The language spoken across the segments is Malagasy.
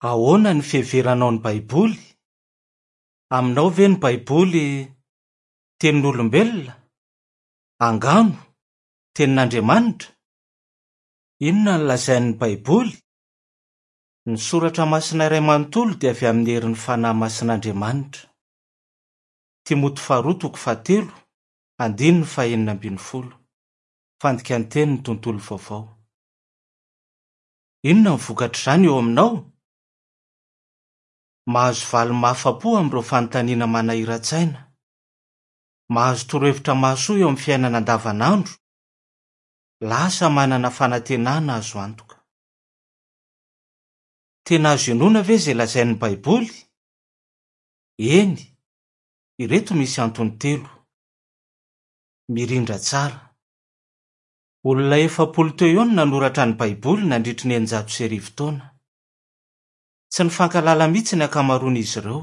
Ahoana ny fiheveranao ny Baiboly? Aminao ve ny Baiboly tenin'olombelona? Angano? Tenin'Andriamanitra? Inona no lazain'ny Baiboly? Ny Soratra Masina iray manontolo dia avy amin'ny herin'ny Fanahy Masin'Andriamanitra. Timoty faharoa toko fahatelo, andininy fahenina ambin'ny folo. Fandikan-tenin'ny Tontolo Vaovao. Inona no vokatr'izany eo aminao? Mahazo valiny mahafa-po amin'ireo fanontaniana manahiran-tsaina. Mahazo torohevitra mahasoa eo amin'ny fiainana andavanandro. Lasa manana fanantenana azo antoka. Tena azo inoana ve izay lazain'ny Baiboly? Eny. Ireto misy antony telo. Mirindra tsara. Olona 40 teo eo no nanoratra ny Baiboly nandritry ny 1600 taona. Tsy nifankahalala mihitsy ny ankamaroan'izy ireo.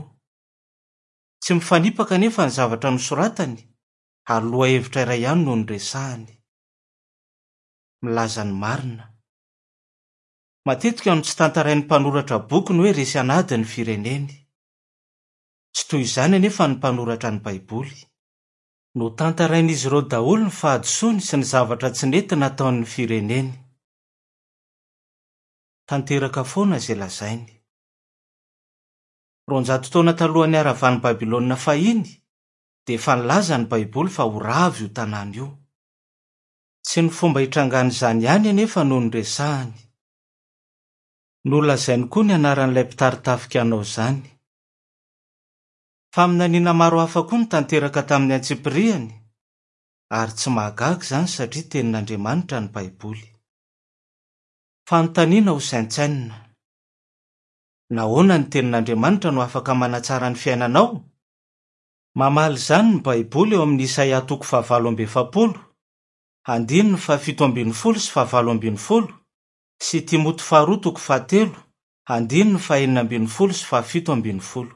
Tsy mifanipaka anefa ny zavatra nosoratany, ary lohahevitra iray ihany no noresahany. Milaza ny marina. Matetika no tsy tantarain'ny mpanoratra boky ny hoe resy an'ady ny fireneny. Tsy toy izany anefa ny mpanoratra ny Baiboly. Notantarain'izy ireo daholo ny fahadisoany sy ny zavatra tsy nety nataon'ny fireneny. Tanteraka foana izay lazainy. 200 taona talohan'ny haravan'i Babylona fahiny, dia efa nilaza ny Baiboly fa ho rava io tanàna io. Tsy ny fomba hitrangan'izany ihany anefa no noresahany. Nolazainy koa ny anaran'ilay mpitari-tafika hanao izany. Faminaniana maro hafa koa no tanteraka tamin'ny antsipiriany, ary tsy mahagaga izany satria Tenin'Andriamanitra ny Baiboly. Fanontaniana hosaintsainina. Nahoana ny Tenin'Andriamanitra no afaka manatsara ny fiainanao? Mamaly izany ny Baiboly ao amin'ny Isaia toko fahavalo amby efapolo, andininy fahafito ambin'ny folo sy fahavalo ambin'ny folo, sy Timoty faharoa toko fahatelo, andininy fahenina ambin'ny folo sy fahafito ambin'ny folo.